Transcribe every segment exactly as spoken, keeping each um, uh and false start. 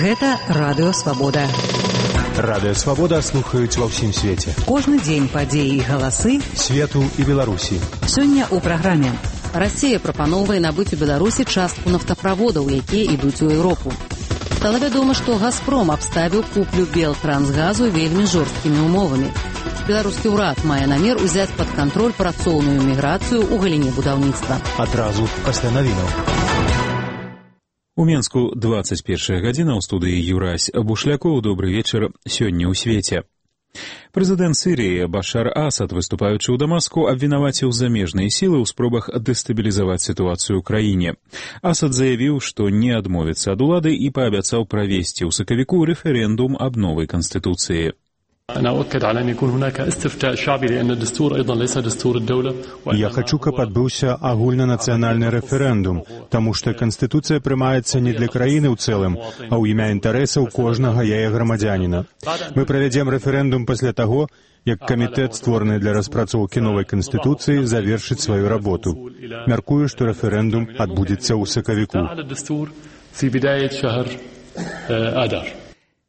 Гэта Радыё Свабода. Радыё Свабода слухаюць ва ўсім свеце. Кожны дзень падзеі і галасы свету і Беларусі. Сёння ў праграме. Расія прапаноўвае набыць у Беларусі частку нафтаправодаў, якія ідуць у Еўропу. Стала вядома, што «Газпром» абставіў куплю Белтрансгазу вельмі жорсткімі умовамі. Беларускі ўрад мае намер узяць пад кантроль працоўную міграцыю ў галіне будаўніцтва. Адразу пасля навінаў. У Менску двадцать первая гадзіна, ў студыі Юрась Бушлякоў. Добры вечар. Сёння ў свеце. Прэзідэнт Сірыі Башар Асад, выступаючы ў Дамаску, абвінаваціў замежныя сілы ў спробах дэстабілізаваць сітуацыю ў краіне. Асад заявіў, што не адмовіцца ад улады і паабяцаў правесці ў сакавіку рэферэндум аб новай канстытуцыі. Я хочу, каб адбыўся агульнанацыянальны рэферэндум, таму што канстытуцыя прымаецца не для краіны ў цэлым, а ў імя інтарэсаў кожнага яе грамадзяніна. Мы правядзем рэферэндум пасля таго, як камітэт, створаны для распрацоўкі новай канстытуцыі, завершыць сваю работу. Мяркую, што рэферэндум адбудзецца ў сакавіку.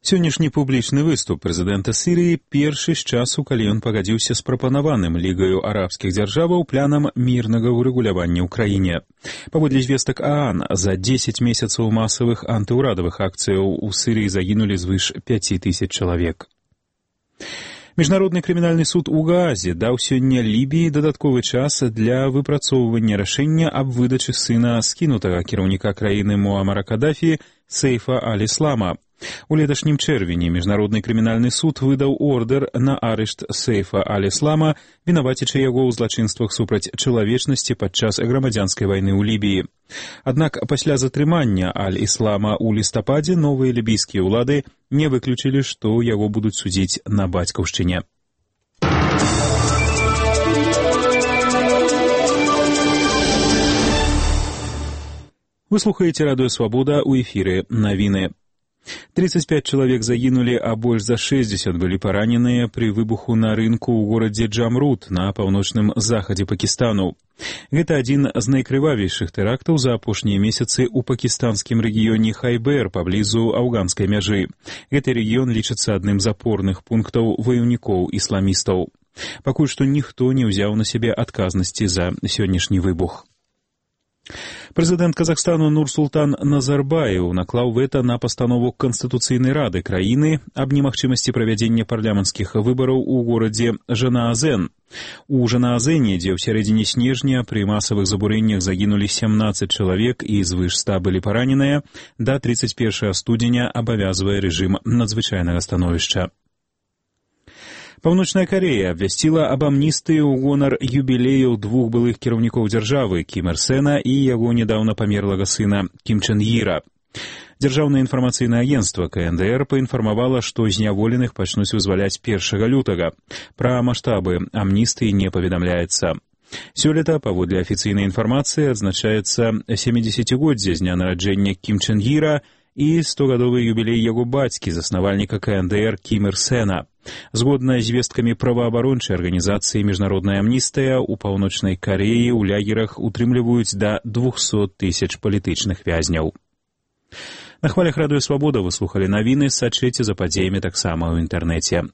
Сённяшні публічны выступ прэзідэнта Сірыі першы з часу, калі ён пагадзіўся з прапанаваным Лігаю арабскіх дзяржаваў планам мірнага ўрэгулявання ў краіне. Паводле звестак ААН, за дзесяць месяцаў масавых антыўрадавых акцыяў у Сірыі загінулі звыш пяць тысяч чалавек. Міжнародны крымінальны суд у Гаазе даў сёння Лібіі дадатковы час для выпрацоўвання рашэння аб выдачы сына скінутага кіраўніка краіны Муамара Кадафі Сейфа аль-Іслама. У леташнім чэрвені Міжнародны крымінальны суд выдаў ордэр на арышт Сейфа аль-Іслама, вінавацячы яго ў злачынствах супраць чалавечнасці падчас грамадзянскай вайны ў Лібіі. Аднак пасля затрымання аль-Іслама ў лістападзе новыя лібійскія ўлады не выключылі, што яго будуць судзіць на бацькаўшчыне. Вы слухаеце Радыё Свабода, у эфіры навіны. тридцать пять чалавек загінулі, а больш за шэсцьдзесят былі параненыя пры выбуху на рынку ў горадзе Джамрут на паўночным захадзе Пакістану. Гэта адзін з найкрывавейшых тэрактаў за апошнія месяцы ў пакістанскім рэгіёне Хайбер паблізу афганскай мяжы. Гэты рэгіён лічыцца адным з апорных пунктаў ваяўнікоў ісламістаў. Пакуль што ніхто не ўзяў на сябе адказнасці за сённяшні выбух. Прэзідэнт Казахстану Нурсултан Назарбаев наклаў вэта на пастанову Канстытуцыйнай рады краіны аб немагчымасці правядзення парламенцкіх выбараў у горадзе Жанаазен. У Жанаазене, дзе ў сярэдзіне снежня пры масавых забурэннях загінулі сямнаццаць чалавек і звыш ста былі параненыя, да тридцать первого студзеня абавязвае рэжым надзвычайнага становішча. Паўночная Карэя абвясціла аб амністыі ў гонар юбілеяў двух былых кіраўнікоў дзяржавы Кім Ір Сэна і яго нядаўна памерлага сына Кім Чэн Іра. Дзяржаўнае інфармацыйнае агенцтва Ка Эн Дэ Эр паінфармавала, што зняволеных пачнуць вызваляць першага лютага. Пра маштабы амністыі не паведамляецца. Сёлета, паводле афіцыйнай інфармацыі, адзначаецца сямідзесяцігоддзе з дня нараджэння Кім Чэн Іра і стогадовы юбілей яго бацькі, заснавальніка Ка Эн Дэ Эр Кім Ір Сэна. Згодна з звесткамі праваабарончай арганізацыі «Міжнародная амністыя», у Паўночнай Карэі ў лягерах утрымліваюць да двухсот тысяч палітычных вязняў. На хвалях Радыё Свабода вы слухалі навіны, сачыце за падзеямі таксама ў інтэрнэце.